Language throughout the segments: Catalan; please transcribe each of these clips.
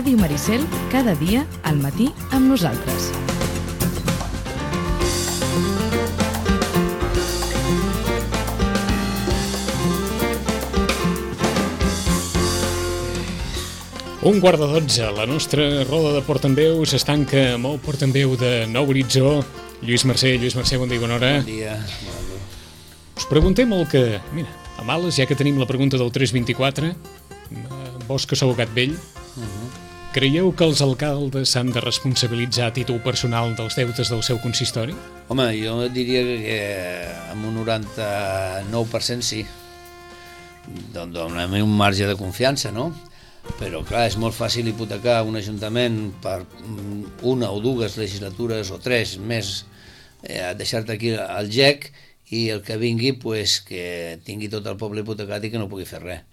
Ràdio Maricel, cada dia al matí amb nosaltres. Un quart de 12, la nostra roda de Portaveus es tanca amb el portaveu de Nou Horitzó, Lluís Mercè. Lluís Mercè, bon dia i bona hora. Bon dia. Us preguntem el que... Mira, a males, ja que tenim la pregunta del 324, vos que sou gat vell, creieu que els alcaldes s'han de responsabilitzar a títol personal dels deutes del seu consistori? Home, jo diria que amb un 99% sí. Donem un marge de confiança, no? Però, clar, és molt fàcil hipotecar un ajuntament per una o dues legislatures o tres més, deixar-te aquí al gec i el que vingui, pues, que tingui tot el poble hipotecat i que no pugui fer res.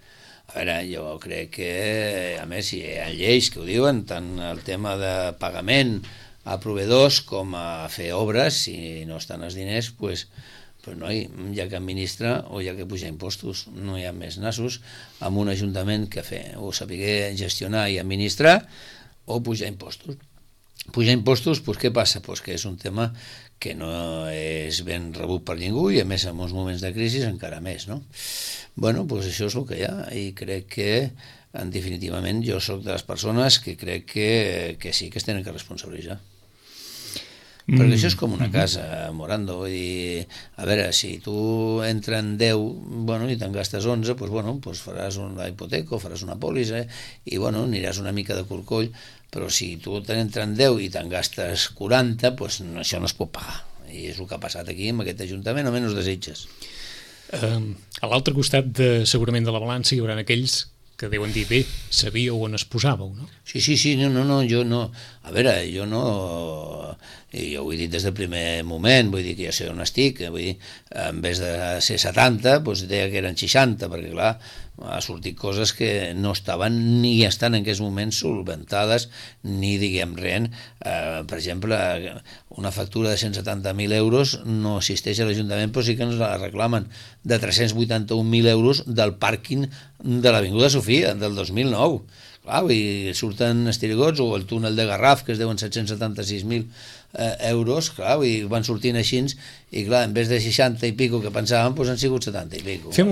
A veure, jo crec que, a més, hi ha lleis que ho diuen, tant el tema de pagament a proveïdors com a fer obres, si no estan els diners, pues no hi ha que administrar o hi ha que pujar impostos, no hi ha més nassos amb un ajuntament que fer, o saber gestionar i administrar o pujar impostos. Pujar impostos, doncs què passa? Doncs que és un tema que no és ben rebut per ningú i a més en uns moments de crisi encara més, no? Bueno, doncs això és el que hi ha i crec que definitivament jo soc de les persones que crec que sí que es tenen que responsabilitzar. Perquè això és com una casa, Morando, vull dir, a veure, si tu entra en 10, bueno, i te'n gastes 11, doncs, bueno, doncs faràs una hipoteca o faràs una pòlissa i, bueno, aniràs una mica de corcoll, però si tu t'entra en 10 i te'n gastes 40, doncs això no es pot pagar. I és el que ha passat aquí amb aquest ajuntament, almenys desitges. A l'altre costat, segurament, de la balança, hi haurà aquells que deuen dir, bé, sabíeu on es posàveu, no? Sí, no, jo no. A veure, jo no... Jo ho he dit des del primer moment, vull dir que jo sé on estic, vull dir, en vez de ser 70, doncs deia que eren 60, perquè clar, ha sortit coses que no estaven ni estan en aquests moments solventades, ni diguem res. Per exemple, una factura de 170.000 euros no existeix a l'Ajuntament, però sí que ens la reclamen, de 381.000 euros del pàrquing de l'Avinguda Sofia, del 2009. Clar, i surten estirigots, o el túnel de Garraf, que es deuen 776.000 euros, clar, i van sortint així, i clar, en vez de 60 i pico que pensàvem, doncs han sigut 70 i pico. Fem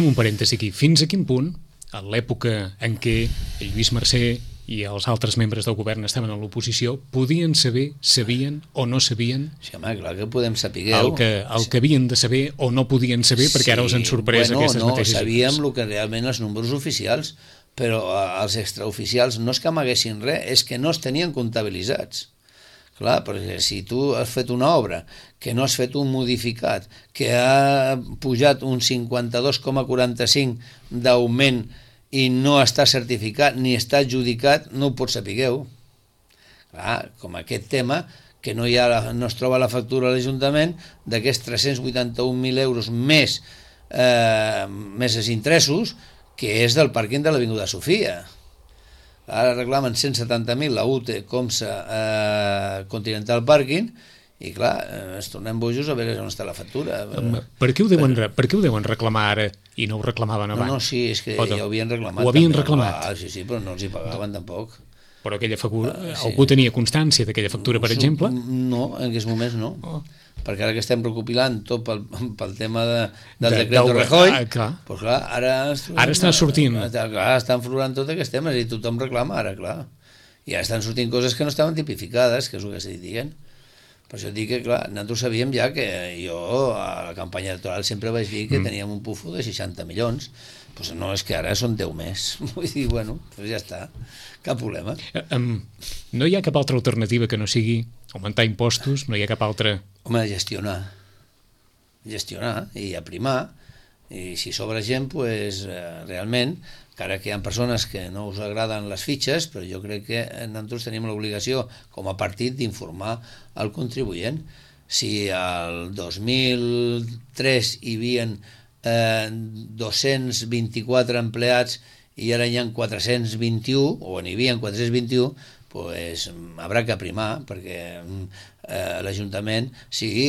un parèntesi aquí. Fins a quin punt, a l'època en què el Lluís Mercè i els altres membres del govern estaven a l'oposició, podien saber, sabien o no sabien... Sí, home, clar que podem saber el que havien de saber o no podien saber, perquè ara us han sorprès aquestes mateixes... No, sabíem el que realment els números oficials, però els extraoficials no és que amaguessin res, és que no es tenien comptabilitzats. Clar, perquè si tu has fet una obra que no has fet un modificat, que ha pujat un 52,45 d'augment i no està certificat ni està adjudicat, no ho pots sapigueu. Clar, com aquest tema, que no es troba la factura a l'Ajuntament d'aquests 381.000 euros més els interessos, que és del pàrquing de l'Avinguda Sofia. Ara reclamen 170.000 la UTE, Comsa, Continental Parking, i clar, ens tornem bojos a veure on està la factura. Per què ho deuen reclamar ara i no ho reclamaven abans? No, sí, és que ja ho havien reclamat. Ho havien reclamat? Sí, però no els hi pagaven tampoc. Però aquella factura, algú tenia constància d'aquella factura, per exemple? No, en aquests moments no. Perquè ara que estem recopilant tot pel tema del decret de Rajoy, doncs clar, ara està sortint. Clar, estan florant tots aquests temes i tothom reclama ara, clar. I ara estan sortint coses que no estaven tipificades, que és el que estic dient. Per això dic que, clar, nosaltres sabíem ja que jo a la campanya electoral sempre vaig dir que teníem un pufo de 60 milions. Doncs no, és que ara són 10 més. Vull dir, bueno, doncs ja està, cap problema. No hi ha cap altra alternativa que no sigui augmentar impostos? No hi ha cap altra... Home, gestionar i aprimar, i si sobra gent, doncs realment, encara que hi ha persones que no us agraden les fitxes, però jo crec que nosaltres tenim l'obligació com a partit d'informar el contribuent. Si al 2003 hi havia 224 empleats i ara hi ha 421, o n'hi havia 421, doncs haurà que aprimar, perquè l'Ajuntament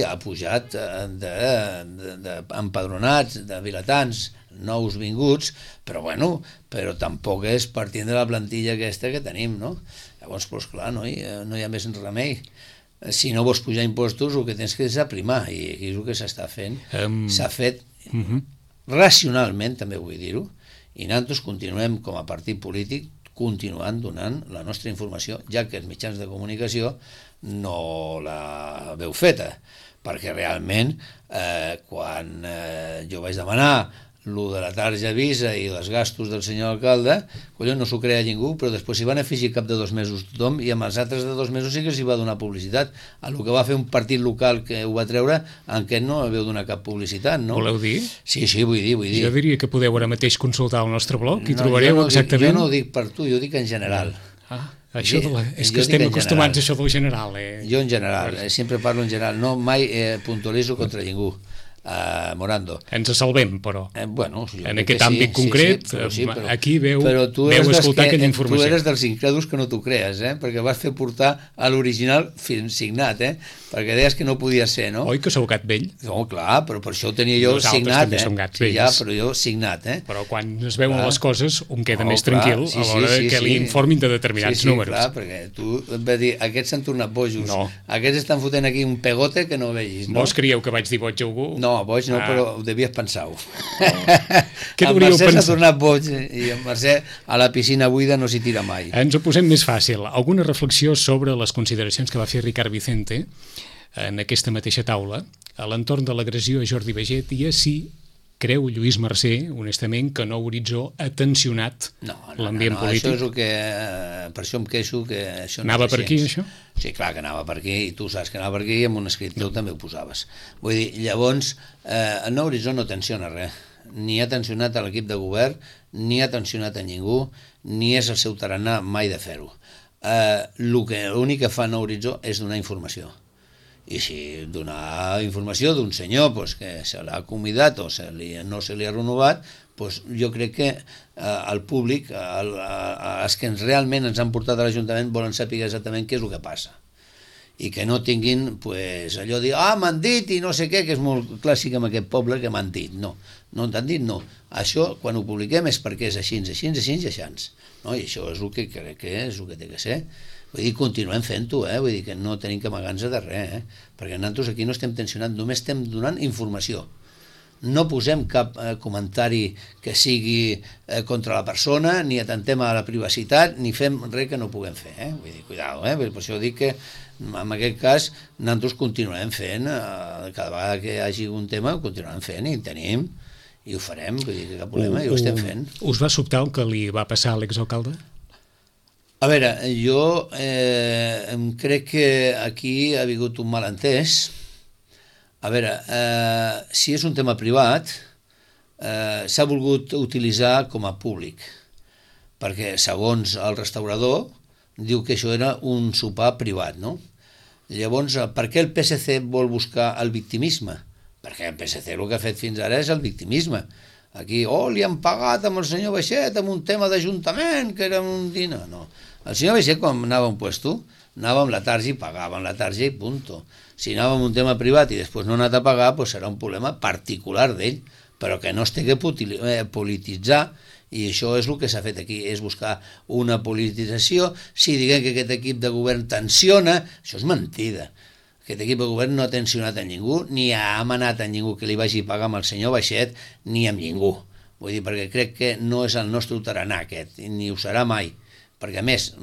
ha pujat d'empadronats, de vilatans, nous vinguts, però bueno, però tampoc és partint de la plantilla aquesta que tenim, no? Llavors, doncs clar, no hi ha més remei. Si no vols pujar impostos, el que tens que és aprimar, i aquí és el que s'està fent. S'ha fet racionalment, també vull dir-ho, i nosaltres continuem com a partit polític continuant donant la nostra informació, ja que els mitjans de comunicació no la veu feta, perquè realment quan jo vaig demanar el de la tarja Visa i els gastos del senyor alcalde, no s'ho creia ningú, però després s'hi van afegir cap de 2 mesos tothom, i amb els altres de 2 mesos sí que s'hi va donar publicitat. El que va fer un partit local que ho va treure, en què no veu donar cap publicitat, no? Voleu dir? Sí, vull dir. Jo diria que podeu ara mateix consultar el nostre blog i trobareu exactament... Jo no ho dic per tu, jo ho dic en general. És que estem acostumats a això del general. Jo en general, sempre parlo en general, no mai puntualitzo contra ningú. Morando. Ens salvem, però. Bueno, en aquest àmbit concret, però aquí veu escoltar aquella informació. Tu eres dels incrèduls que no t'ho crees, perquè vas fer portar a l'original signat, perquè deies que no podia ser, no? Oi que sou gat vell? No, clar, però per això ho tenia jo signat. Nosaltres també som gats vells. Ja, però jo signat, Però quan es veuen les coses, un queda més tranquil a l'hora que li informin de determinats números. Sí, clar, perquè tu em vas dir, aquests s'han tornat bojos, aquests estan fotent aquí un pegote que no vegis, no? Vos creieu que vaig dir boig a algú? No, boig no, però ho devies pensar-ho. Què el hauríeu Mercè pensat? s'ha tornat boig i el Mercè a la piscina buida no s'hi tira mai. Ens ho posem més fàcil. Alguna reflexió sobre les consideracions que va fer Ricard Vicente en aquesta mateixa taula a l'entorn de l'agressió a Jordi Baiget i a si creu Lluís Mercè, honestament, que Nou Horitzó ha tensionat l'ambient polític? Això és el que... Per això em queixo que això no anava per aquí, això? Sí, clar que anava per aquí, i tu saps que anava per aquí, i amb un escrit teu també ho posaves. Vull dir, llavors, el Nou Horitzó no tensiona res. Ni ha tensionat a l'equip de govern, ni ha tensionat a ningú, ni és el seu tarannà mai de fer-ho. L'únic que fa Nou Horitzó és donar informació. I si donar informació d'un senyor que se l'ha convidat o no se li ha renovat, jo crec que el públic, els que realment ens han portat a l'Ajuntament, volen saber exactament què és el que passa. I que no tinguin allò de dir, m'han dit i no sé què, que és molt clàssic en aquest poble, que m'han dit. No t'han dit, no. Això, quan ho publiquem, és perquè és així. I això és el que crec que és el que té que ser. Vull dir, continuem fent-ho, vull dir que no tenim que amagar-nos de res, perquè nosaltres aquí no estem tensionant, només estem donant informació. No posem cap comentari que sigui contra la persona, ni atentem a la privacitat, ni fem res que no puguem fer, vull dir, cuidado, per això dic que en aquest cas nosaltres continuem fent, cada vegada que hi hagi un tema ho continuem fent i en tenim, i ho farem, vull dir que cap problema, i ho estem fent. Us va sobtar el que li va passar a l'exalcalde? A veure, jo crec que aquí ha hagut un malentès. A veure, si és un tema privat, s'ha volgut utilitzar com a públic, perquè segons el restaurador diu que això era un sopar privat, no? Llavors, per què el PSC vol buscar el victimisme? Perquè el PSC el que ha fet fins ara és el victimisme. Aquí, li han pagat amb el senyor Baixet amb un tema d'Ajuntament, que era un dinar. No. El senyor Baixet, quan anava a un puesto, anava amb la tarja i pagava amb la tarja i punto. Si anava amb un tema privat i després no ha anat a pagar, serà un problema particular d'ell, però que no es té que polititzar, i això és el que s'ha fet aquí, és buscar una politització. Si diguem que aquest equip de govern tensiona, això és mentida. Aquest equip de govern no ha tensionat a ningú, ni ha amenat a ningú que li vagi a pagar amb el senyor Baixet, ni amb ningú. Vull dir, perquè crec que no és el nostre tarannà aquest, ni ho serà mai. Perquè, a més,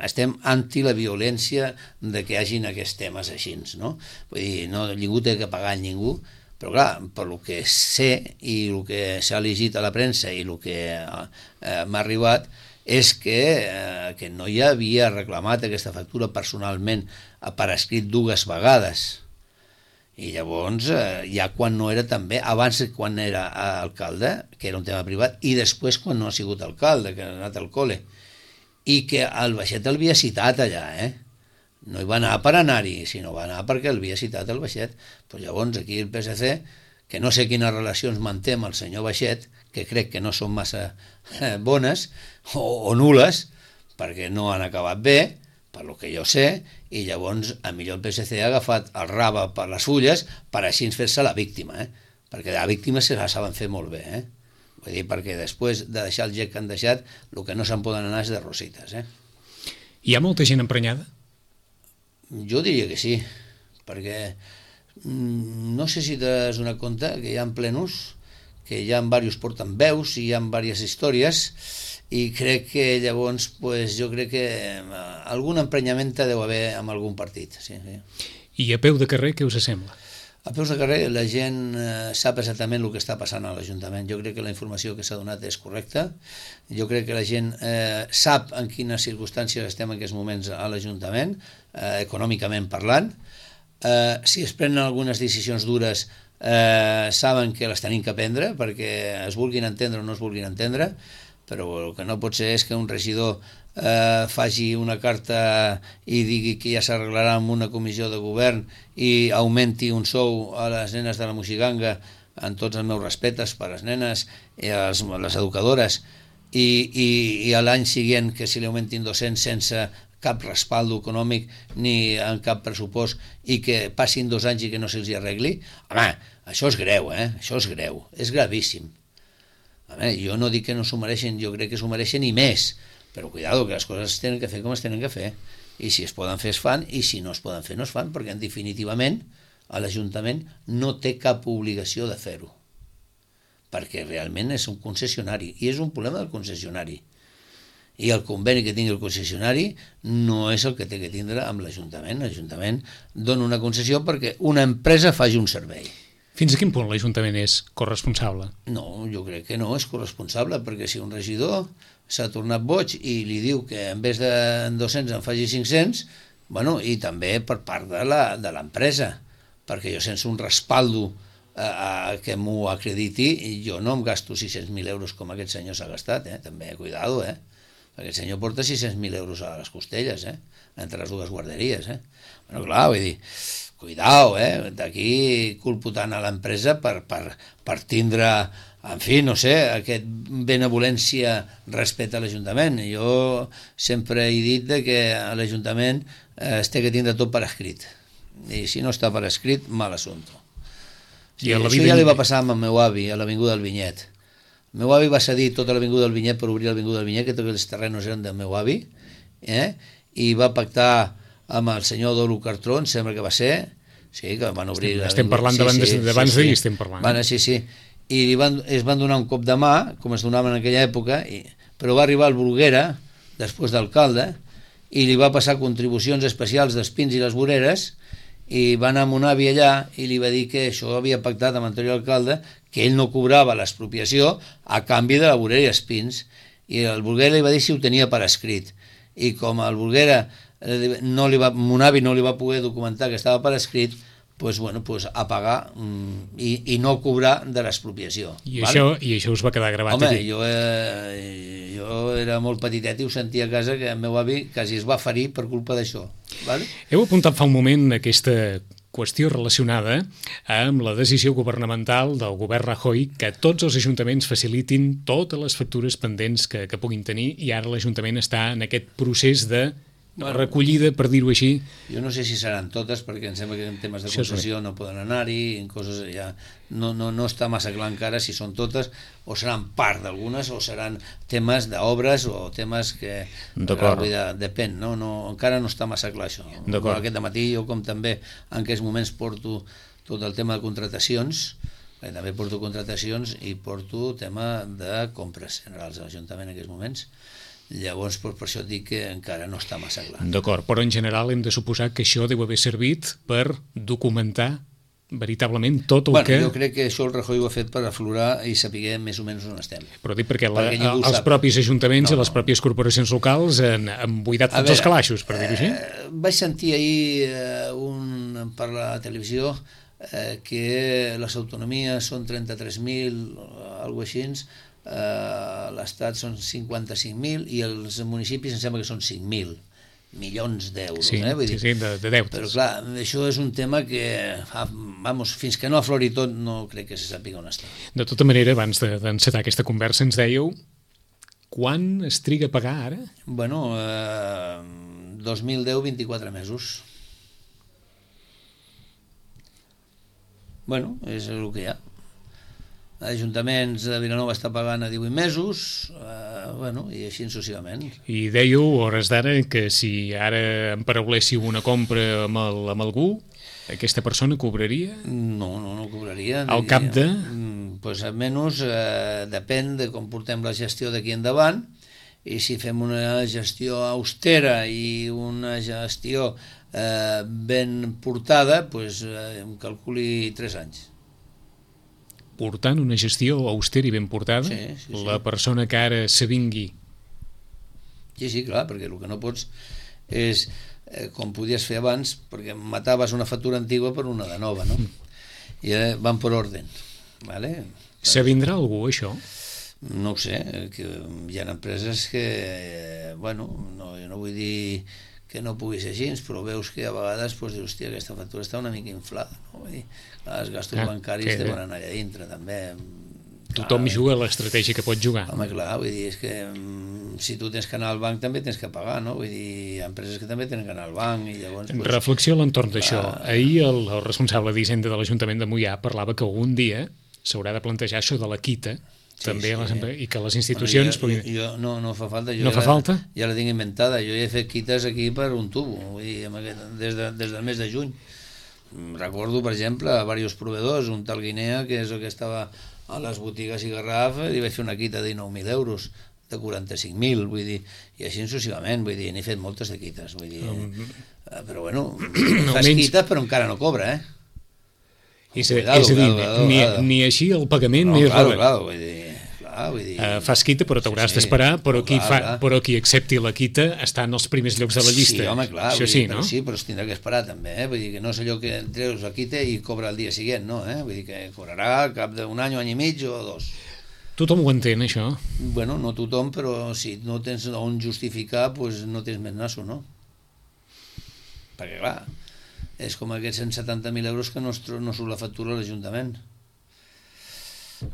estem anti la violència de que hi hagin aquests temes així, no? Vull dir, ningú té que pagar a ningú, però clar, per el que sé i el que s'ha llegit a la premsa i el que m'ha arribat, és que no hi havia reclamat aquesta factura personalment per escrit 2 vegades. I llavors, ja quan no era també, abans quan era alcalde, que era un tema privat, i després quan no ha sigut alcalde, que ha anat al col·le, i que el Baixet el havia citat allà, no hi va anar per anar-hi, sinó va anar perquè el havia citat el Baixet. Però llavors aquí el PSC, que no sé quines relacions manté amb el senyor Baixet, que crec que no són massa bones o nules, perquè no han acabat bé, per lo que jo sé, i llavors a millor el PSC ha agafat el rave per les fulles per així fer-se la víctima, perquè la víctima se la saben fer molt bé, Vull dir, perquè després de deixar el gec que han deixat, el que no se'n poden anar és de rosites, Hi ha molta gent emprenyada? Jo diria que sí, perquè no sé si t'has donat compte que hi ha plenos, que hi ha diversos porten veus i hi ha diverses històries, i crec que llavors jo crec que algun emprenyament deu haver amb algun partit. Sí. I a peu de carrer què us sembla? A peus de carrer la gent sap exactament el que està passant a l'Ajuntament. Jo crec que la informació que s'ha donat és correcta. Jo crec que la gent sap en quines circumstàncies estem en aquests moments a l'Ajuntament, econòmicament parlant. Si es prenen algunes decisions dures, saben que les tenim que prendre, perquè es vulguin entendre o no es vulguin entendre, però el que no pot ser és que un regidor faci una carta i digui que ja s'arreglarà amb una comissió de govern i augmenti un sou a les nenes de la Moixiganga, amb tots els meus respectes per les nenes i a les educadores, i a l'any següent que se li augmentin 200 sense cap respaldo econòmic ni en cap pressupost, i que passin 2 anys i que no se'ls arregli. Home, això és greu, això és greu, és gravíssim. Jo no dic que no s'ho mereixen, jo crec que s'ho mereixen i més, però cuidado, que les coses es tenen que fer com es tenen que fer, i si es poden fer es fan, i si no es poden fer no es fan, perquè definitivament l'Ajuntament no té cap obligació de fer-ho, perquè realment és un concessionari, i és un problema del concessionari, i el conveni que tingui el concessionari no és el que té que tindre amb l'Ajuntament. L'Ajuntament dona una concessió perquè una empresa faci un servei. Fins a quin punt l'Ajuntament és corresponsable? No, jo crec que no és corresponsable, perquè si un regidor s'ha tornat boig i li diu que en vez de 200 en faci 500, bueno, i també per part de l'empresa, perquè jo sense un respaldo que m'ho acrediti, jo no em gasto 600.000 euros com aquest senyor s'ha gastat, també, cuidado, aquest senyor porta 600.000 euros a les costelles, entre les dues guarderies, Bueno, clar, vull dir, cuidao, d'aquí culpo tant a l'empresa per tindre, en fi, no sé, aquest benevolència respecte a l'Ajuntament. Jo sempre he dit que a l'Ajuntament es té que tindre tot per escrit, i si no està per escrit, mal assumpte. Sí, això ja li va passar amb el meu avi a l'Avinguda del Vinyet. El meu avi va cedir tota l'Avinguda del Vinyet per obrir l'Avinguda del Vinyet, que tots els terrenos eren del meu avi, i va pactar amb el senyor Dolo Cartró, em sembla que va ser, sí, que van obrir... Estem parlant d'abans d'ahir, estem parlant. Sí, i es van donar un cop de mà, com es donaven en aquella època, però va arribar el Bruguera, després d'alcalde, i li va passar contribucions especials dels pins i les voreres, i va anar amb un avi allà i li va dir que això havia pactat amb l'anterior alcalde, que ell no cobrava l'expropiació a canvi de la vorera i els pins, i el Bruguera li va dir si ho tenia per escrit, i com el Bruguera mon avi no li va poder documentar que estava per escrit, a pagar i no cobrar de l'expropiació. I això us va quedar gravat? Home, jo era molt petitet i ho sentia a casa, que el meu avi quasi es va ferir per culpa d'això. Heu apuntat fa un moment aquesta qüestió relacionada amb la decisió governamental del govern Rajoy que tots els ajuntaments facilitin totes les factures pendents que puguin tenir, i ara l'Ajuntament està en aquest procés de recollida, per dir-ho així. Jo no sé si seran totes, perquè em sembla que en temes de concessió no poden anar-hi, en coses ja no està massa clar encara si són totes, o seran part d'algunes, o seran temes d'obres o temes que depèn, encara no està massa clar això. Aquest matí jo, com també en aquests moments porto tot el tema de contratacions, també porto contratacions i porto tema de compres generals a l'Ajuntament en aquests moments. Llavors, per això dic que encara no està massa clar. D'acord, però en general hem de suposar que això deu haver servit per documentar veritablement tot el que... Jo crec que això el Rajoy ho ha fet per aflorar i saber més o menys on estem. Però dic perquè els propis ajuntaments i les pròpies corporacions locals han buidat tots els calaixos, per dir-ho així. Vaig sentir ahir per la televisió que les autonomies són 33.000, alguna cosa així, l'Estat són 55.000 i els municipis em sembla que són 5.000 milions d'euros. Sí, de deutes. Però clar, això és un tema que fins que no aflori tot no crec que se sàpiga on està. De tota manera, abans d'encetar aquesta conversa ens dèieu quan es triga a pagar ara? 2010, 24 mesos. És el que hi ha. Ajuntaments de Vilanova està pagant a 18 mesos, i així successivament. I dèieu, a hores d'ara, que si ara emparauléssiu una compra amb algú, aquesta persona cobraria? No cobraria. Al cap de? Pues almenys depèn de com portem la gestió d'aquí endavant, i si fem una gestió austera i una gestió ben portada, pues em calculi 3 anys. Portant una gestió austera i ben portada, Sí. la persona que ara s'avingui. Sí, clar, perquè el que no pots és, com podies fer abans, perquè mataves una factura antigua per una de nova, no? I ara van per ordre. Vale? S'avindrà algú, això? No ho sé, que hi ha empreses que, jo no vull dir que no pugui ser així, però veus que a vegades dius, hòstia, aquesta factura està una mica inflada, no? Vull dir, els gastos bancaris deuen anar allà dintre, també. Tothom juga a l'estratègia que pot jugar. Home, clar, vull dir, és que si tu tens que anar al banc també tens que pagar, no? Vull dir, hi ha empreses que també tenen que anar al banc i llavors... Reflexió a l'entorn d'això. Ahir el responsable d'Hisenda de l'Ajuntament de Moià parlava que algun dia s'haurà de plantejar això de la quita, també i que les institucions... No fa falta. No fa falta? Ja la tinc inventada. Jo he fet quites aquí per un tubo, vull dir, des del mes de juny. Recordo, per exemple, a diversos proveedors, un tal Guinea, que és el que estava a les botigues i Garraf, li vaig fer una quita de 19.000 euros, de 45.000, vull dir, i així successivament, vull dir, n'he fet moltes de quites, vull dir, però fas quites però encara no cobra, És a dir, ni així el pagament ni res. Clar, vull dir... fas quita però t'hauràs d'esperar, però qui accepti la quita està en els primers llocs de la llista. Sí, home, clar, no? Sí, però es tindrà que esperar també, vull dir que no és allò que treus la quita i cobra el dia següent, no? Vull dir que cobrarà al cap d'un any i mig o 2. Tothom ho entén, això? Bueno, no tothom, però si no tens on justificar, doncs no tens més nasso, no? Perquè, clar, és com aquests 170.000 euros que no surt la factura a l'Ajuntament.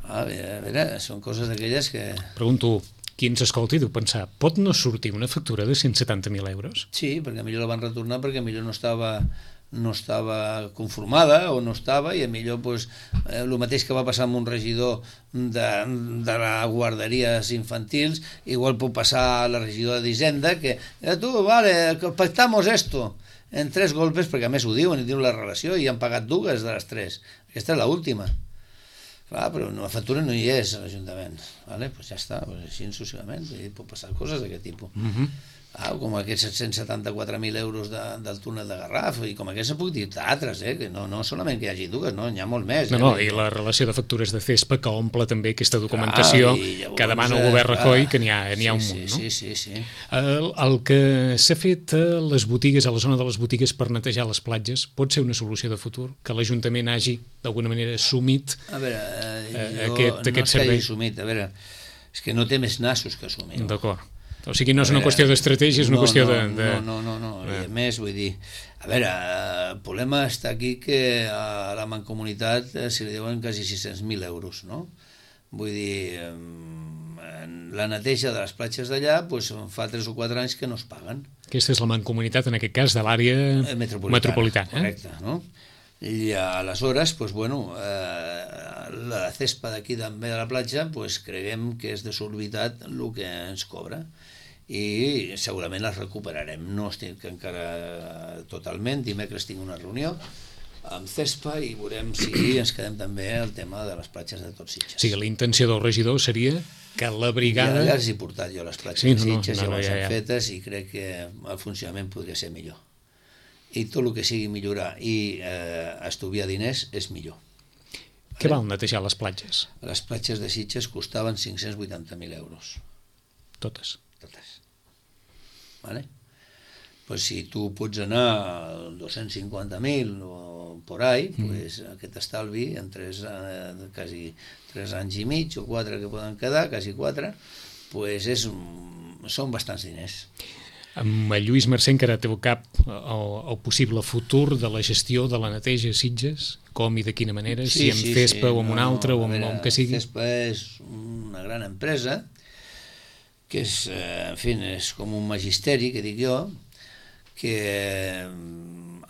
A veure, són coses d'aquelles que... Pregunto, qui ens escolti deu pensar, pot no sortir una factura de 170.000 euros? Sí, perquè millor la van retornar perquè millor no estava conformada o no estava, i millor el mateix que va passar amb un regidor de la guarderies infantils, igual pot passar a la regidora d'Hisenda, que tu, vale, pactamos esto en 3 golpes, perquè a més ho diuen la relació, i han pagat 2 de les 3. Aquesta és l'última. Clar, però la factura no hi és a l'Ajuntament. Vale? Pues ja està, així successivament. Pot passar coses d'aquest tipus. Com aquests 774.000 euros del túnel de Garraf, i com aquests se puc dir d'altres, que no solament que hi hagi 2, no, n'hi ha molt més. I la relació de factures de CESPA que omple també aquesta documentació que demana el govern Rajoy, que n'hi ha un munt, no? Sí. El que s'ha fet a les botigues, a la zona de les botigues per netejar les platges, pot ser una solució de futur? Que l'Ajuntament hagi, d'alguna manera, assumit aquest servei? No és que hagi assumit, és que no té més nassos que assumir. D'acord. O sigui, no és una qüestió d'estratègia, és una qüestió de... No. I a més, vull dir, el problema està aquí que a la Mancomunitat se li deuen quasi 600.000 euros, no? Vull dir, la neteja de les platges d'allà fa 3 o 4 anys que no es paguen. Aquesta és la Mancomunitat, en aquest cas, de l'àrea metropolitana. Correcte, no? I aleshores, la CESPA d'aquí també de la platja, creiem que és desorbitat el que ens cobra, i segurament les recuperarem. No estic encara totalment, dimecres tinc una reunió amb CESPA i veurem si ens quedem també el tema de les platges de Tots Sitges. Sí, la intenció del regidor seria que la brigada... Ja les he portat jo, les platges de Sitges, ja les han fetes, i crec que el funcionament podria ser millor. I tot el que sigui millorar i estuviar diners és millor. Què val netejar les platges? Les platges de Sitges costaven 580.000 euros. Totes? Totes. Vale? Pues si tu pots anar a 250.000 o por ahí, aquest estalvi en quasi 3 anys i mig o 4 que poden quedar, quasi 4, són bastants diners. Amb el Lluís Mercè encara té al cap el possible futur de la gestió de la neteja a Sitges, com i de quina manera, si amb CESPA o amb una altra o amb que sigui. CESPA és una gran empresa que és, en fi, és com un magisteri, que dic jo, que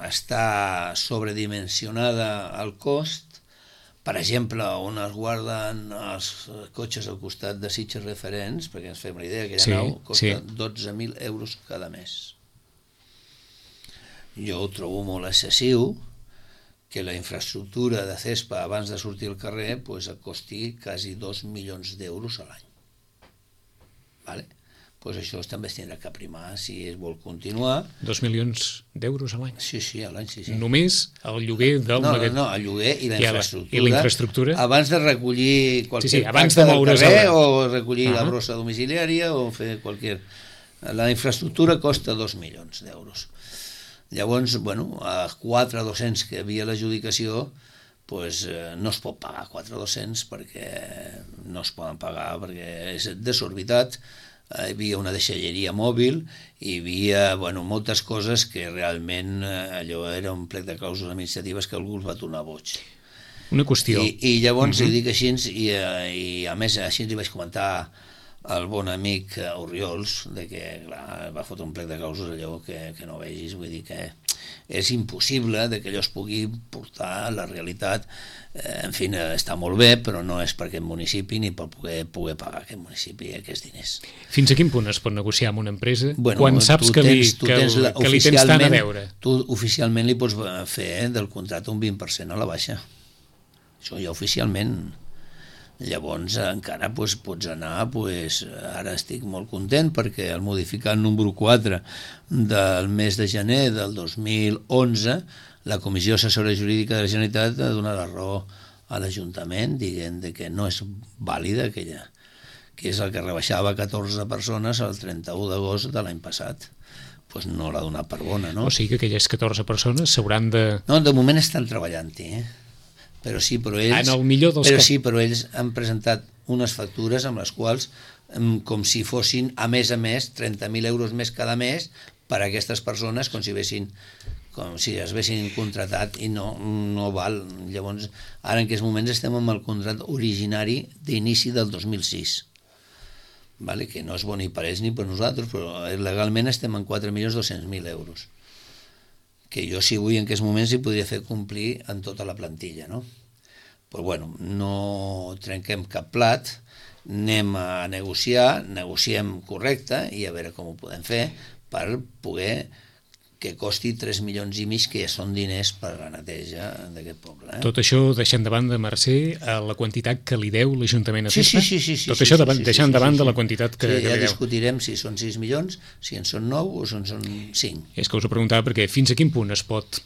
està sobredimensionada al cost, per exemple, on es guarden els cotxes al costat de Sitges referents, perquè ens fem la idea, aquella nau costa 12.000 euros cada mes. Jo ho trobo molt excessiu que la infraestructura de CESPA abans de sortir al carrer costi quasi 2 milions d'euros a l'any. Vale? Això també es tindrà que aprimar si es vol continuar. 2 milions d'euros a l'any? Sí, a l'any, sí. Només el lloguer del magatzem? No, el lloguer i la infraestructura. I la infraestructura? Abans de recollir qualsevol abans de moure's carrer, o recollir la brossa domiciliària, o fer qualsevol... La infraestructura costa 2 milions d'euros. Llavors, a 4.200 que havia l'adjudicació, no es pot pagar 4.200 perquè no es poden pagar, perquè és desorbitat. Hi havia una deixalleria mòbil, hi havia moltes coses que realment allò era un plec de clàusules administratives que algú els va tornar boig. Una qüestió. I llavors li dic així, i a més així li vaig comentar al bon amic Oriols, que va fotre un plec de clàusules allò que no vegis, vull dir que és impossible que allò es pugui portar a la realitat. En fi, està molt bé, però no és per aquest municipi ni per poder pagar aquest municipi aquests diners. Fins a quin punt es pot negociar amb una empresa quan saps que li tens tant a deure? Tu oficialment li pots fer del contracte un 20% a la baixa. Això ja oficialment. Llavors encara pots anar, ara estic molt content perquè al modificar el número 4 del mes de gener del 2011 la Comissió Assessora Jurídica de la Generalitat ha donat la raó a l'Ajuntament dient que no és vàlida aquella, que és el que rebaixava 14 persones el 31 d'agost de l'any passat. No l'ha donat per bona, no? O sigui que aquelles 14 persones s'hauran de... No, de moment estan treballant-hi, Però ells han presentat unes factures amb les quals, com si fossin, a més, 30.000 euros més cada mes per a aquestes persones, com si es vessin contratat, i no val. Llavors, ara en aquests moments estem amb el contracte originari d'inici del 2006, que no és bo ni per ells ni per nosaltres, però legalment estem en 4.200.000 euros, que jo, si vull, en aquests moments hi podria fer complir en tota la plantilla, no? Però no trenquem cap plat, anem a negociar, negociem correcte i a veure com ho podem fer per poder que costi 3 milions i mig, que ja són diners per la neteja d'aquest poble. Tot això deixant de banda, Mercè, la quantitat que li deu l'Ajuntament a CESPA? Sí. Tot això deixant de banda la quantitat que li deu. Ja discutirem si són 6 milions, si en són 9 o si en són 5. És que us ho preguntava perquè fins a quin punt es pot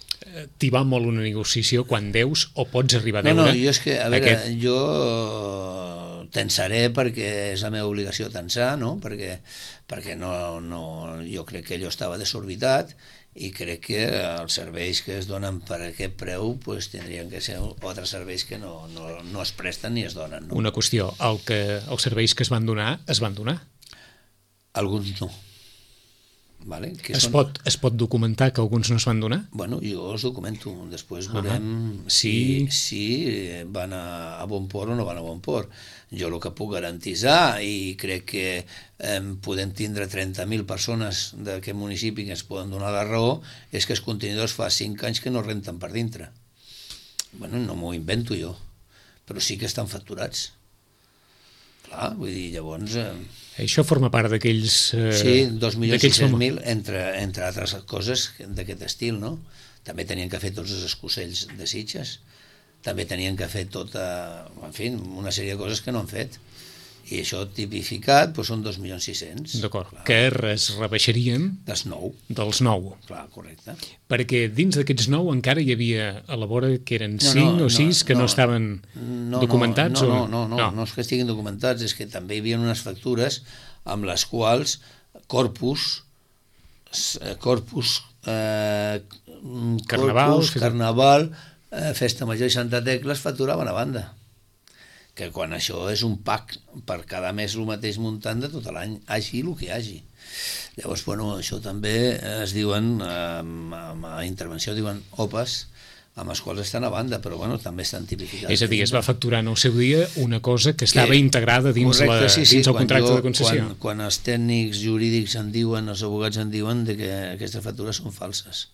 tibar molt una negociació quan deus o pots arribar a deure? No, jo és que, a veure, jo tensaré perquè és la meva obligació tensar, no? Perquè jo crec que allò estava desorbitat i crec que els serveis que es donen per aquest preu tindrien que ser altres serveis que no es presten ni es donen. Una qüestió, els serveis que es van donar? Alguns no. Es pot documentar que alguns no es van donar? Jo els documento, després veurem si van a bon port o no van a bon port. Jo el que puc garantitzar, i crec que podem tindre 30.000 persones d'aquest municipi que ens poden donar la raó, és que els contenidors fa 5 anys que no renten per dintre. No m'ho invento jo, però sí que estan facturats. Clar, vull dir, llavors... Això forma part d'aquells... Sí, 2.600.000, entre altres coses d'aquest estil, no? També tenien que fer tots els escocells de Sitges, també tenien que fer una sèrie de coses que no han fet. I això tipificat són 2.600.000. D'acord, que es rebaixarien... Dels 9. Dels 9. Clar, correcte. Perquè dins d'aquests 9 encara hi havia a la vora que eren 5 o 6 que no estaven documentats? No és que estiguin documentats, és que també hi havia unes factures amb les quals Corpus, Carnaval, Festa Major i Santa Tecla es facturaven a banda, que quan això és un pack per cada mes el mateix muntant de tot l'any, hagi el que hagi. Llavors, això també es diuen, a intervenció diuen OPAs, amb els quals estan a banda, però també estan tipificats. És a dir, es va facturar en el seu dia una cosa que estava integrada dins el contracte de concessió. Quan els tècnics jurídics en diuen, els abogats en diuen que aquestes factures són falses.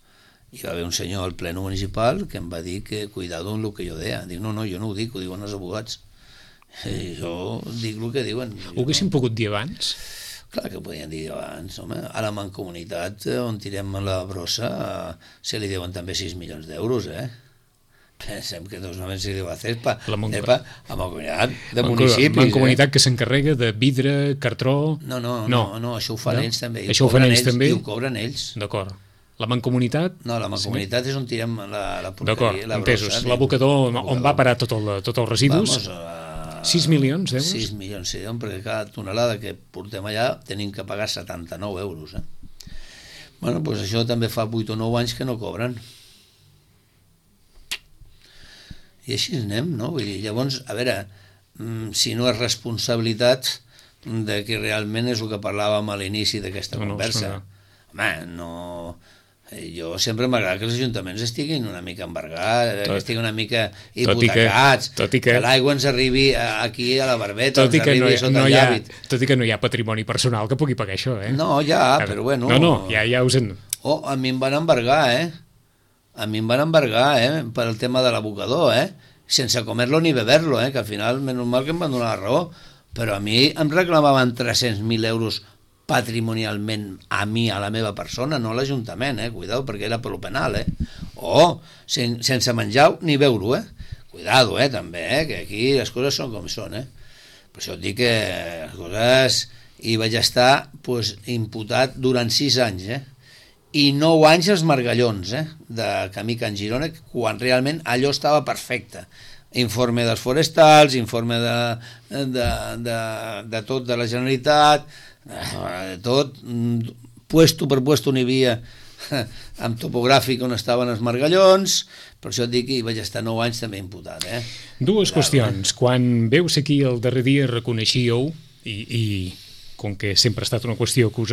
hi va haver un senyor al pleno municipal que em va dir que cuidado amb el que jo deia. Dic, no, jo no ho dic, ho diuen els abogats. I jo dic el que diuen. Ho haguéssim pogut dir abans? Clar que ho podien dir abans, home. A la Mancomunitat, on tirem la brossa, se li deuen també 6 milions d'euros, Pensem que solament se li deu a CESPA, a Mancomunitat de municipis. Mancomunitat que s'encarrega de vidre, cartró... No, això ho fan ells també. Això ho fan ells també? I ho cobren ells. D'acord. La Mancomunitat... No, la Mancomunitat és on tirem la porqueria, d'acord, la entesos. brossa. L'abocador on va parar tots els residus. 6 milions d'euros? 6 milions, sí, perquè cada tonelada que portem allà tenim que pagar 79 euros. Bueno, doncs això també fa 8 o 9 anys que no cobren. I així anem, no? Vull dir, llavors, a veure, si no és responsabilitat de que realment és el que parlàvem a l'inici d'aquesta conversa. Home, no... Jo sempre m'agrada que els ajuntaments estiguin una mica embargats, que estiguin una mica hipotecats, que l'aigua ens arribi aquí a la barbeta, ens arribi sota el llàbit. Tot i que no hi ha patrimoni personal que pugui pagar això, No, ja, però bueno... No, ja us en... A mi em van embargar, A mi em van embargar, per el tema de l'abocador, sense comer-lo ni beber-lo, que al final, menys mal que em van donar la raó, però a mi em reclamaven 300.000 euros patrimonialment a mi, a la meva persona, no a l'Ajuntament, cuidado, perquè era per lo penal, o sense menjar ni beure, cuidado, també, que aquí les coses són com són, per això et dic que les coses hi vaig estar imputat durant 6 anys, i 9 anys els margallons, de Camí Can Girona, quan realment allò estava perfecte. Informe dels forestals, informe de tot de la Generalitat, tot, puesto per puesto n'hi havia amb topogràfic on estaven els margallons, per això et dic que hi vaig estar 9 anys també imputat. Dues qüestions. Quan veus aquí el darrer dia reconeixíeu, i com que sempre ha estat una qüestió que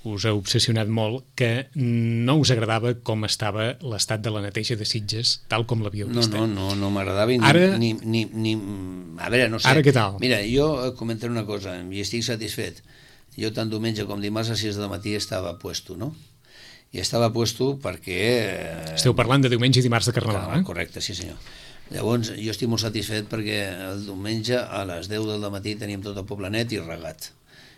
us ha obsessionat molt, que no us agradava com estava l'estat de la neteja de Sitges, tal com l'havíeu vist. No m'agradava ni... A veure, no sé. Ara què tal? Mira, jo comentaré una cosa, i estic satisfet. Jo tant diumenge com dimarts a 6 del matí estava puesto, no? I estava puesto perquè... Esteu parlant de diumenge i dimarts de Carnaval, Correcte, sí senyor. Llavors, jo estic molt satisfet perquè el diumenge a les 10 del matí teníem tot el poble net i regat.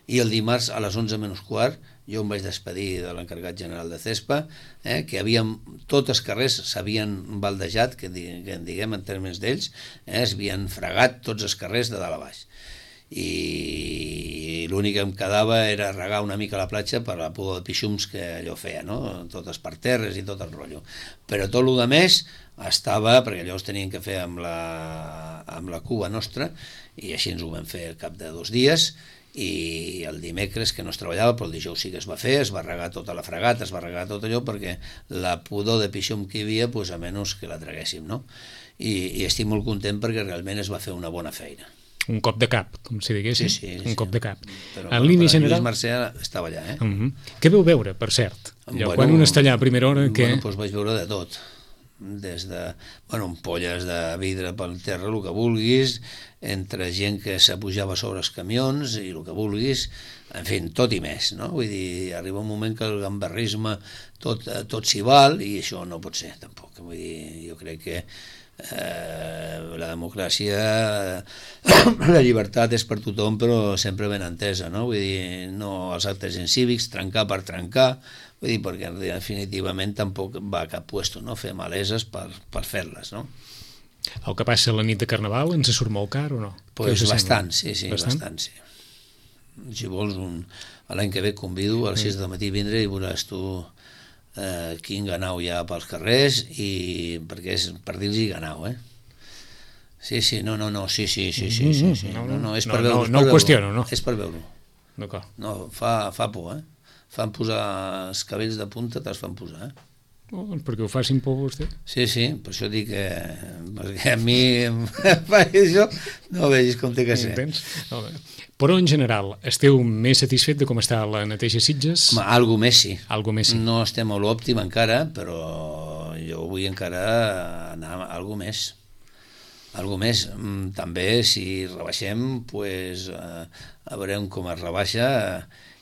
I el dimarts a les 11 menys quart jo em vaig despedir de l'encarregat general de CESPA, que tots els carrers s'havien baldejat, que en diguem en termes d'ells, es havien fregat tots els carrers de dalt a baix. I l'únic que em quedava era regar una mica la platja per la pudor de pixums que allò feia, no? Tot els parterres i tot el rotllo. Però tot el més estava, perquè allò es tenien que fer amb la cuba nostra, i així ens ho vam fer al cap de 2 dies, i el dimecres que no es treballava, però el dijous sí que es va fer, es va regar tota la fregata, es va regar tot allò perquè la pudor de pixum que hi havia, a menys que la traguéssim, no? I estic molt content perquè realment es va fer una bona feina. Un cop de cap, com si diguéssim. Sí. Un cop de cap. Però, en línia general... Lluís Mercè estava allà, Què veu veure, per cert? Quan un està allà a primera hora... Doncs vaig veure de tot. Des de, ampolles de vidre pel terra, el que vulguis, entre gent que s'apujava sobre els camions i el que vulguis, en fi, tot i més, no? Vull dir, arriba un moment que el gamberrisme tot s'hi val i això no pot ser, tampoc. Vull dir, jo crec que la democràcia, la llibertat és per tothom, però sempre ben entesa, no? Vull dir, no els actes incívics, trencar per trencar, vull dir, perquè definitivament tampoc va a cap puesto, no? Fer maleses per fer-les, no? El que passa la nit de Carnaval ens surt molt car o no? Pues bastant, sí, bastant, sí. Si vols, l'any que ve convido a les 6 del matí vindre i veuràs tu quin ganau hi ha pels carrers, i perquè és per dir-los ganau, Sí, no, sí, no, és per veure-ho. No ho qüestiono, no? És per veure-ho. D'acord. No, fa por, Fan posar els cabells de punta, te'ls fan posar, perquè ho facin por vostè? Sí, per això dic que... perquè a mi em fa això, no vegis com té que ser. Però en general, esteu més satisfet de com està la neteja Sitges? Home, algo més sí. No estem a l'òptim encara, però jo vull encara anar a algo més. També, si rebaixem, a veurem com es rebaixa,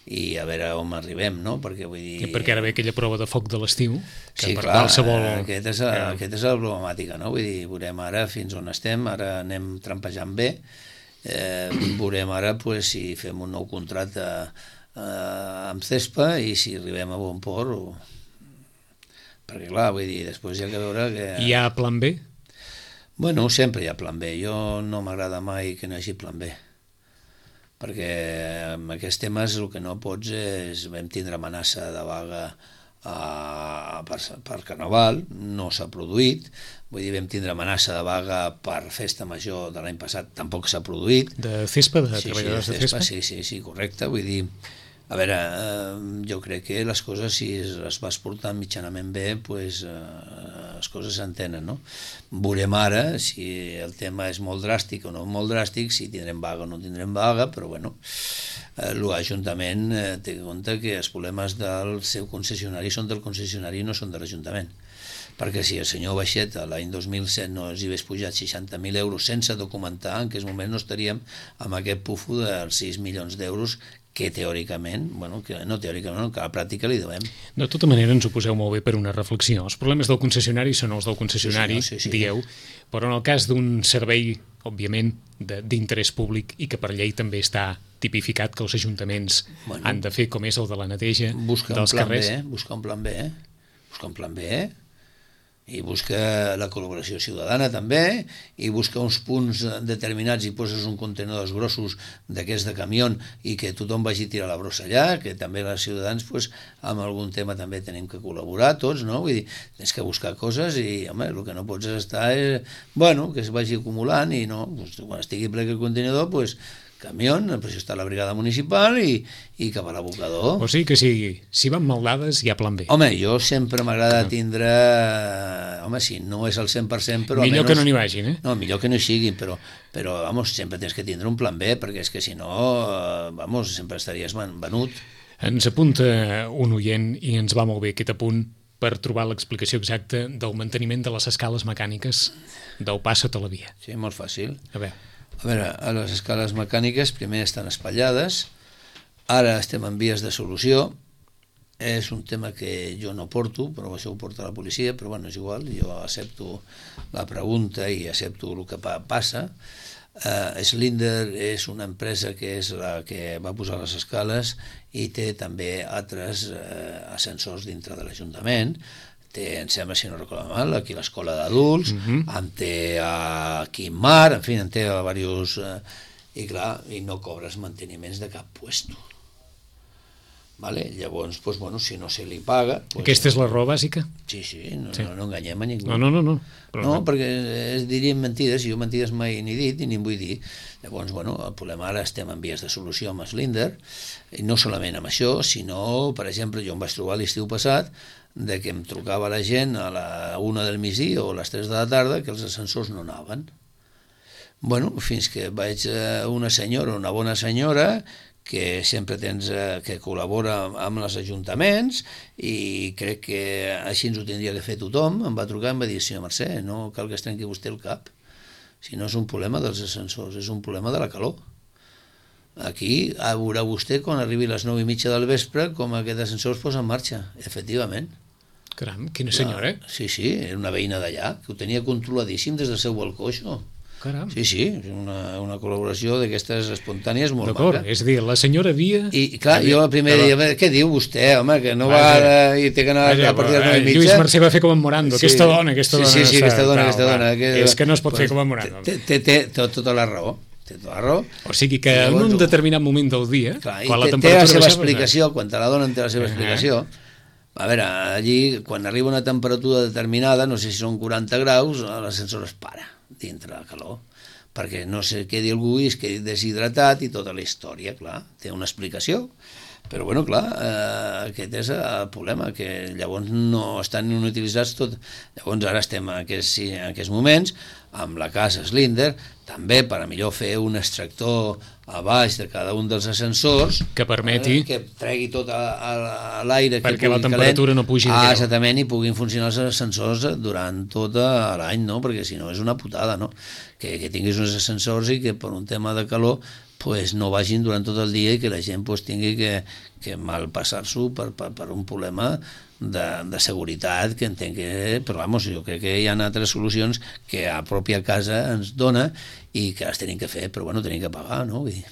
i a veure on arribem, no? Perquè vull dir... I perquè ara ve aquella prova de foc de l'estiu, que sí, per clar, qualsevol... Aquesta és la problemàtica, no? Vull dir, veurem ara fins on estem, ara anem trampejant bé, veurem ara pues, si fem un nou contracte amb Cespa i si arribem a bon port perquè clar, vull dir, després hi ha que veure que... Hi ha plan B? Bueno, sempre hi ha plan B, jo no m'agrada mai que no hi hagi plan B, perquè amb aquests temes el que no pots és, vam tindre amenaça de vaga per Carnaval, no s'ha produït, vull dir, vam tindre amenaça de vaga per Festa Major de l'any passat, tampoc s'ha produït. De Cespa, de treballadors de Cespa? Sí, correcte, vull dir, a veure, jo crec que les coses, si les vas portant mitjanament bé, pues, les coses s'entenen, no? Veurem ara si el tema és molt dràstic o no molt dràstic, si tindrem vaga o no tindrem vaga, però bueno, l'Ajuntament té en compte que els problemes del seu concessionari són del concessionari i no són de l'Ajuntament. Perquè si el senyor Baixeta l'any 2007 no els hi hagués pujat 60.000 euros sense documentar, en aquells moments no estaríem amb aquest pufo dels 6 milions d'euros que teòricament, bueno, que no teòricament, que a la pràctica li devem. De tota manera ens ho poseu molt bé per una reflexió. Els problemes del concessionari són els del concessionari, sí. Dieu, però en el cas d'un servei, òbviament, d'interès públic i que per llei també està tipificat que els ajuntaments han de fer com és el de la neteja dels carrers. Busca un plan B, i busca la col·laboració ciutadana també, i busca uns punts determinats i poses un contenedors grossos d'aquests de camió i que tothom vagi a tirar la brossa allà, que també els ciutadans pues, amb algun tema també tenim que col·laborar tots, no? Vull dir, tens que buscar coses i, home, el que no pots estar és, bueno, que es vagi acumulant i no, pues, quan estigui ple el contenidor, pues, camió, per això està la brigada municipal i cap a l'abocador. O sigui que si van mal dades hi ha plan B. Home, jo sempre m'agrada tindre... Home, si no és el 100%, però millor almenys... que no n'hi vagin, No, millor que no hi siguin, però vamos, sempre tens que tindre un plan B, perquè és que si no, vamos, sempre estaries venut. Ens apunta un oient i ens va molt bé aquest apunt per trobar l'explicació exacta del manteniment de les escales mecàniques del pas sota la via. Sí, molt fàcil. A veure, les escales mecàniques primer estan espatllades, ara estem en vies de solució, és un tema que jo no porto, però això ho porta la policia, però bueno, és igual, jo accepto la pregunta i accepto el que passa. Slinder és una empresa que és la que va posar les escales i té també altres ascensors dintre de l'Ajuntament. Té, em sembla, si no recordo mal, aquí l'escola d'adults, en té aquí en Mar, en fi, en té a diversos... I clar, i no cobres manteniments de cap puesto. Vale? Llavors, pues, bueno, si no se li paga... Pues, aquesta és la raó bàsica? Sí, no enganyem a ningú. No, perquè diríem mentides, i jo mentides mai n'he dit i ni en vull dir. Llavors, bueno, el problema ara estem en vies de solució amb Slinder, i no solament amb això, sinó, per exemple, jo em vaig trobar l'estiu passat de que em trucava la gent a la 1 del migdia o a les 3 de la tarda que els ascensors no anaven. Bueno, fins que vaig una senyora, una bona senyora, que sempre tens que col·labora amb els ajuntaments i crec que així ens ho tindria que fer tothom, em va trucar i em va dir, senyor Mercè, no cal que es trenqui vostè el cap, si no és un problema dels ascensors, és un problema de la calor. Aquí veurà vostè quan arribi a les 9:30 del vespre com aquest ascensor es posa en marxa, efectivament. Caram, quina senyora, eh? Sí, era una veïna d'allà, que ho tenia controladíssim des del seu balcó, això. Caram. Sí, una col·laboració d'aquestes espontànies molt maca. D'acord, és a dir, la senyora havia... I clar, jo la primera dia, què diu vostè, home, que no va i té que anar a partir de les 9:30? Lluís Mercè va fer com en Morando, aquesta dona... Sí, aquesta dona. És que no es pot fer com en Morando. Té tota la raó. O sigui que en un determinat moment del dia, quan la temperatura... Té la seva explicació, quan te la donen té la seva explicació. A veure, allí, quan arriba una temperatura determinada, no sé si són 40 graus, l'ascensor es para dintre la calor, perquè no se quedi algú i es quedi deshidratat i tota la història, clar, té una explicació. Però, bueno, clar, aquest és el problema, que llavors no estan utilitzats tot. Llavors ara estem en aquests moments amb la casa Slinder, també per a millor fer un extractor a baix de cada un dels ascensors que permeti que tregui tot l'aire perquè la temperatura no pugi de exactament, i puguin funcionar els ascensors durant tot l'any, no? Perquè si no és una putada, no? Que tinguis uns ascensors i que per un tema de calor pues no vagin durant tot el dia i que la gent pues, tingui que malpassar-s'ho per un problema de seguretat que entenc que... Però vamos, jo crec que hi ha altres solucions que a pròpia casa ens dona i que les tenim que fer, però bueno, tenim que pagar, no? Vull dir,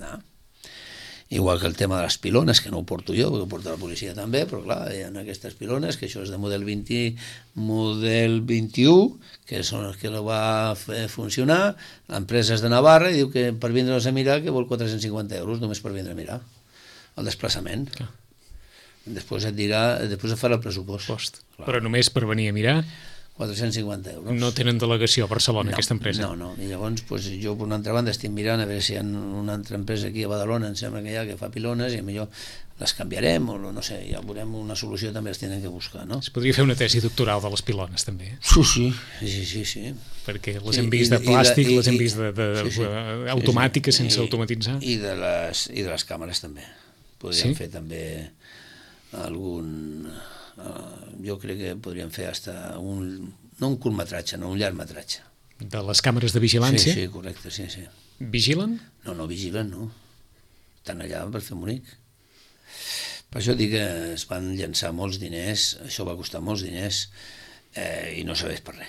no. Igual que el tema de les pilones, que no ho porto jo, perquè ho porta la policia també, però clar, hi ha aquestes pilones, que això és de model 21, que són els que la va fer funcionar, empreses de Navarra, i diu que per vindre'ls a mirar que vol 450 euros només per vindre a mirar el desplaçament. Clar. Després et dirà, després et farà el pressupost. Però només per venir a mirar 450 euros. no tenen delegació a Barcelona, aquesta empresa. No. I llavors pues, jo per una altra banda estic mirant a veure si hi ha una altra empresa aquí a Badalona, em sembla que hi ha, que fa pilones, i millor les canviarem o no sé, ja veurem una solució, també els tenen que buscar, no? Es podria fer una tesi doctoral de les pilones també, Sí. perquè les hem vist de plàstic, les hem vist automàtiques sense automatitzar. I de les càmeres també. Podríem fer també algun... jo crec que podríem fer hasta no un curtmetratge, no un llargmetratge. De les càmeres de vigilància? Sí, correcte, sí. Vigilen? No, vigilen, no. Estan allà per fer bonic. Per això dic que es van llançar molts diners, això va costar molts diners i no serveix per res.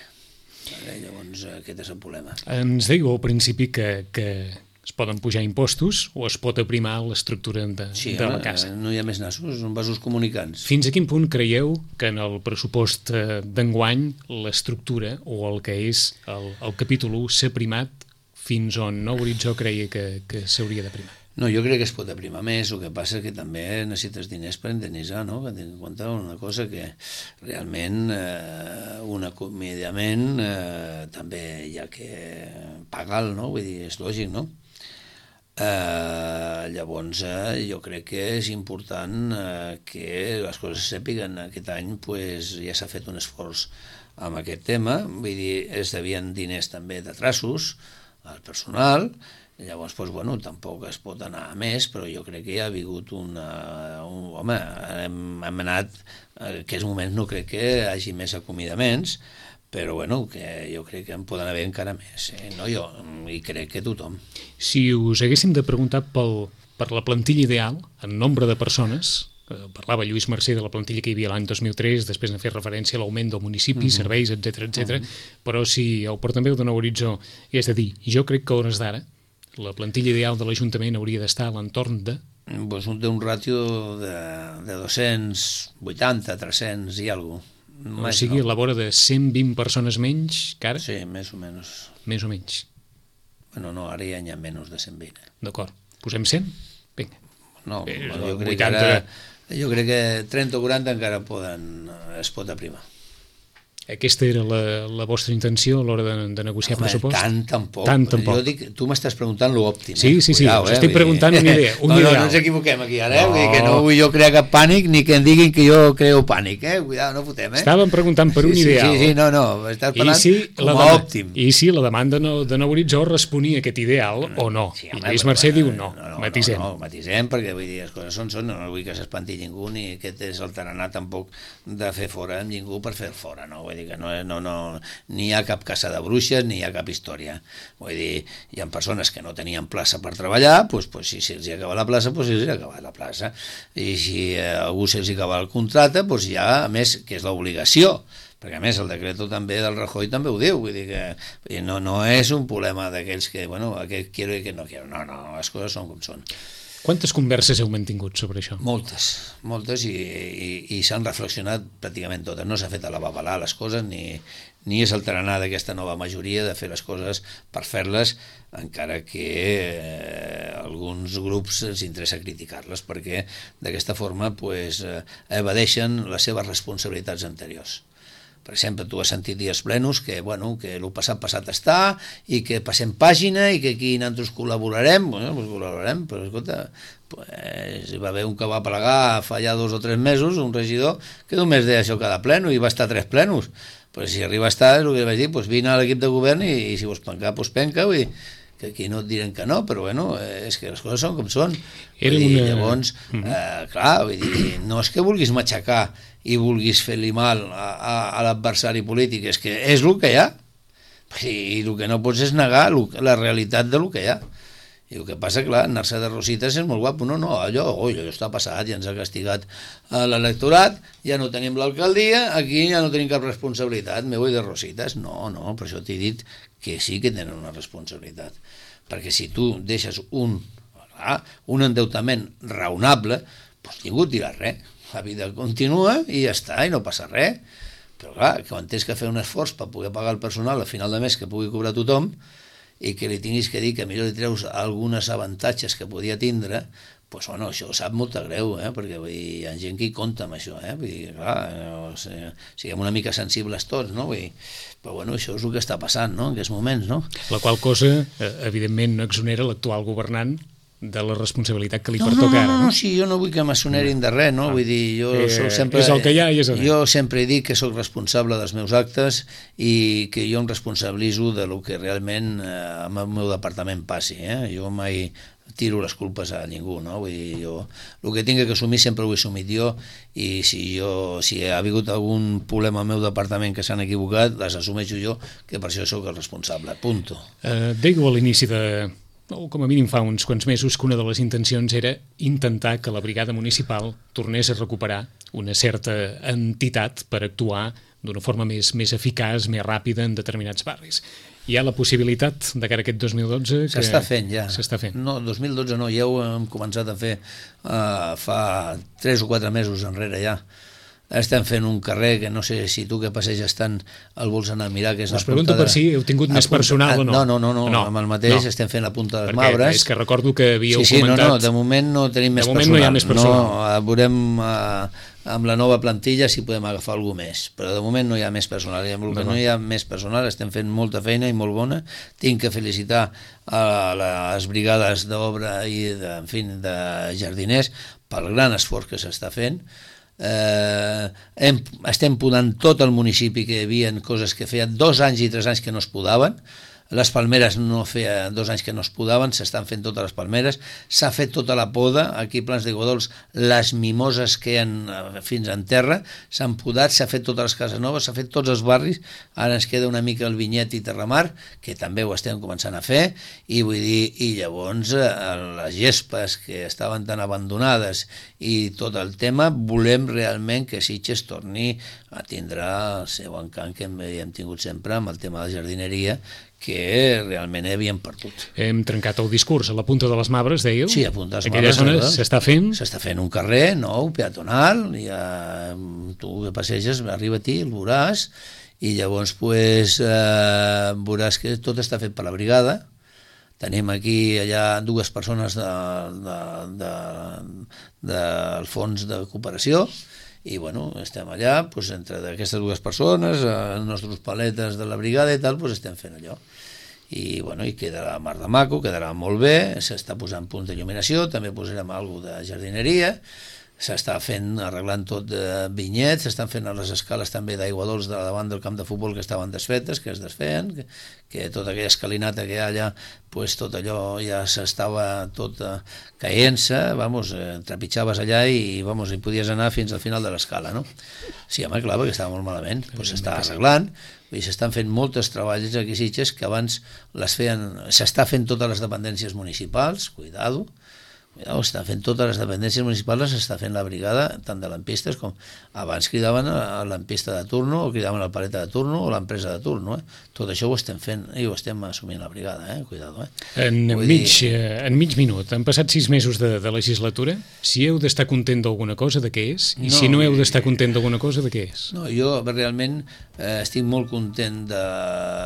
Llavors aquest és el problema. Ens dèieu al principi que es poden pujar impostos o es pot aprimar l'estructura de la casa. No hi ha més nassos, són vasos comunicants. Fins a quin punt creieu que en el pressupost d'enguany l'estructura o el que és el capítol 1 s'ha primat fins on Nou Horitzó creia que s'hauria de primar? No, jo crec que es pot aprimar més, el que passa que també necessites diners per indemnitzar, no? Que tinc en compte una cosa que realment un acomiadament també hi ha que pagar-lo, no? Vull dir, és lògic, no? Llavors jo crec que és important que les coses se sàpiguen. Aquest any pues, ja s'ha fet un esforç amb aquest tema, vull dir, es devien diners també de traços al personal. Llavors, doncs, bueno, tampoc es pot anar a més, però jo crec que hi ha hagut home, hem anat, en aquests moments no crec que hi hagi més acomiadaments, però bueno, que jo crec que en poden haver encara més, no jo, i crec que tothom. Si us haguéssim de preguntar per la plantilla ideal, en nombre de persones, parlava Lluís Mercè de la plantilla que hi havia l'any 2003, després n'ha fet referència a l'augment del municipi, serveis, etc. Però si el portaveu de Nou Horitzó hagués de dir, jo crec que a hores d'ara la plantilla ideal de l'Ajuntament hauria d'estar a l'entorn de... Pues un ràtio de 280, 300 i alguna cosa. O sigui, a la vora de 120 persones menys que ara? Sí, més o menys. Més o menys. Bueno, no, ara ja n'hi ha menys de 120. D'acord. Posem 100? Vinga. No, jo crec que ara... Jo crec que 30 o 40 encara es pot aprimar. Aquesta era la vostra intenció a l'hora de negociar pressupost? Tampoc. Jo dic, tu m'estàs preguntant l'òptim. Sí, us estic preguntant una idea. No ens equivoquem aquí ara, vull dir que no vull jo crear cap pànic ni que em diguin que jo creo pànic, cuidado, no fotem, Estàvem preguntant per un ideal. Sí, no, estàs parlant com a òptim. I si la demanda de Nou Horitzó responia a aquest ideal o no? I Lluís Mercè diu no, matisem. No, matisem, perquè vull dir, les coses són, no vull que s'espanti ningú, ni aquest és el tarannà tampoc de fer fora amb ningú per fer fora, no? Vull dir que ni hi ha cap caça de bruixes ni hi ha cap història. Vull dir, hi ha persones que no tenien plaça per treballar, doncs si se'ls acaba la plaça, doncs se'ls acaba la plaça. I si a algú se'ls acaba el contracte, doncs ja, a més, que és l'obligació, perquè a més el decret també del Rajoy també ho diu, vull dir que no és un problema d'aquells que, bueno, aquest quiero i aquest no quiero, no, les coses són com són. Quantes converses heu mantingut sobre això? Moltes i s'han reflexionat pràcticament totes. No s'ha fet a la babalà les coses ni és el tarannà d'aquesta nova majoria de fer les coses per fer-les, encara que alguns grups els interessa criticar-les perquè d'aquesta forma evadeixen les seves responsabilitats anteriors. Per exemple, tu has sentit dies plenos que el passat està i que passem pàgina i que aquí nosaltres col·laborarem. Col·laborarem, però escolta, hi va haver un que va plegar fa ja 2 o 3 mesos, un regidor, que només deia això cada pleno i va estar 3 plenos. Però si arriba a estar, el que vaig dir, vine a l'equip de govern i si vols pencar, penca, vull dir, que aquí no et diran que no, però és que les coses són com són. Llavors, clar, vull dir, no és que vulguis matxacar i vulguis fer-li mal a l'adversari polític, és que és el que hi ha. I el que no pots és negar la realitat del que hi ha. I el que passa, clar, anar-se de rosites és molt guapo. No, allò està passat, ja ens ha castigat l'electorat, ja no tenim l'alcaldia, aquí ja no tenim cap responsabilitat, me voy de rosites. No, per això t'he dit que sí que tenen una responsabilitat. Perquè si tu deixes un endeutament raonable, doncs ningú et dirà res. La vida continua i ja està, i no passa res. Però clar, quan tens que fer un esforç per poder pagar el personal a final de mes que pugui cobrar tothom, i que li tinguis que dir que millor li treus algunes avantatges que podia tindre, doncs, bueno, això sap molt greu, perquè vull dir, hi ha gent que hi compta amb això, vull dir, clar, siguem una mica sensibles tots, no? Vull dir, però bueno, això és el que està passant, no?, en aquests moments, no? La qual cosa, evidentment, no exonera l'actual governant de la responsabilitat que li pertoca ara, no? No, sí, jo no vull que m'assonerin de res, no? Vull dir, jo soc sempre... És el que hi ha i és el que hi ha. Jo sempre he dit que sóc responsable dels meus actes i que jo em responsabilitzo de lo que realment amb el meu departament passi, Jo mai tiro les culpes a ningú, no? Vull dir, jo el que tinc que assumir sempre ho he assumit jo, i si ha hagut algun problema al meu departament que s'han equivocat, les assumeixo jo, que per això sóc el responsable, punto. Dèieu a l'inici o com a mínim fa uns quants mesos, que una de les intencions era intentar que la brigada municipal tornés a recuperar una certa entitat per actuar d'una forma més eficaç, més ràpida en determinats barris. Hi ha la possibilitat de cara a aquest 2012 que... S'està fent ja. S'està fent. No, 2012 no, ja ho hem començat a fer fa 3 o 4 mesos enrere ja. Estem fent un carrer que no sé si tu que passeges tant el vols anar a mirar, que és la punta... Us pregunto per si heu tingut més personal o no. No, amb el mateix estem fent la punta dels Mabres. Perquè és que recordo que havíeu comentat... No, de moment no tenim més personal. De moment no hi ha més personal. No, veurem amb la nova plantilla si podem agafar algú més, però de moment no hi ha més personal. I amb el que no hi ha més personal estem fent molta feina i molt bona. Tinc que felicitar a les brigades d'obra i de jardiners pel gran esforç que s'està fent. Estem podant tot el municipi, que hi havia coses que feia 2 anys i 3 anys que no es podaven. Les palmeres no feia 2 anys que no es podaven, s'estan fent totes les palmeres, s'ha fet tota la poda, aquí a Plans de Godols les mimoses que hi ha fins en terra, s'han podat, s'ha fet totes les cases noves, s'ha fet tots els barris, ara ens queda una mica el Vinyet i Terramar, que també ho estem començant a fer, i vull dir, i llavors les gespes que estaven tan abandonades i tot el tema, volem realment que Sitges torni a tindre el seu encant que hem tingut sempre amb el tema de la jardineria, que realment havíem perdut. Hem trencat el discurs a la punta de les Mabres, dèieu? Sí, a punta de les Mabres. Aquella zona s'està fent? S'està fent un carrer nou, peatonal, tu que passeges, arriba-t'hi, el veuràs, i llavors veuràs que tot està fet per la brigada. Tenim aquí allà 2 persones del fons de cooperació, i bueno, estem allà, entre aquestes 2 persones, els nostres paletes de la brigada i tal, estem fent allò. I bueno, i quedarà mar de maco, quedarà molt bé, s'està posant punts d'il·luminació, també posarem alguna de jardineria, s'està fent, arreglant tot de Vinyet, s'estan fent les escales també d'aigua dolç de davant del camp de futbol que estaven desfetes, que es desfeien, que tota aquella escalinata que hi ha allà, tot allò ja s'estava tot caient-se, trepitjaves allà i hi podies anar fins al final de l'escala, no? Sí, home, clar, perquè estava molt malament, s'està arreglant, i s'estan fent moltes treballs aquí a Sitges que abans les feien, s'està fent totes les dependències municipals, cuidado, està fent totes les dependències municipals, s'està fent la brigada, tant de lampistes com abans cridaven a l'ampista de turno o cridaven al paleta de turno o l'empresa de turno, tot això ho estem fent i ho estem assumint la brigada, cuidado. En mig minut, han passat 6 mesos de legislatura, si heu d'estar content d'alguna cosa, de què és? I si no heu d'estar content d'alguna cosa, de què és? No, jo realment estic molt content de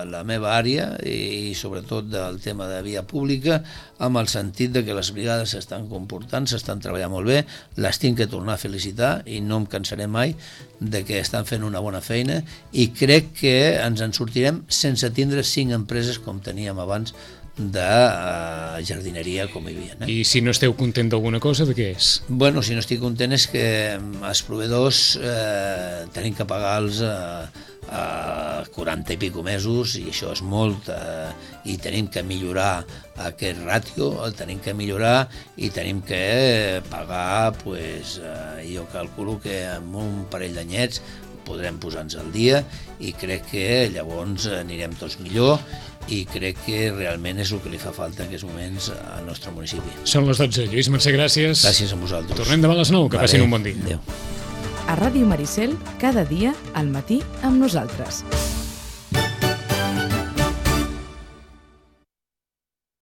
la meva àrea i sobretot del tema de via pública, amb el sentit de que les brigades s'estan comportant, s'estan treballant molt bé, les tinc que tornar a felicitar i no em cansaré mai de que estan fent una bona feina i crec que ens en sortirem sense tindre 5 empreses com teníem abans de jardineria com hi havia. I si no esteu content d'alguna cosa, de què és? Bueno, si no estic content és que els proveïdors tenim que pagar-los a 40 i pico mesos i això és molt i tenim que millorar aquest ràtio, el tenim que millorar i tenim que pagar, jo calculo que amb un parell d'anyets podrem posar-nos al dia i crec que llavors anirem tots millor i crec que realment és el que li fa falta en aquests moments al nostre municipi. Són les 12. Lluís Mercè, gràcies. Gràcies a vosaltres. Tornem demà a les 9, que passin un bon dia. Adéu. A Ràdio Maricel, cada dia al matí amb nosaltres.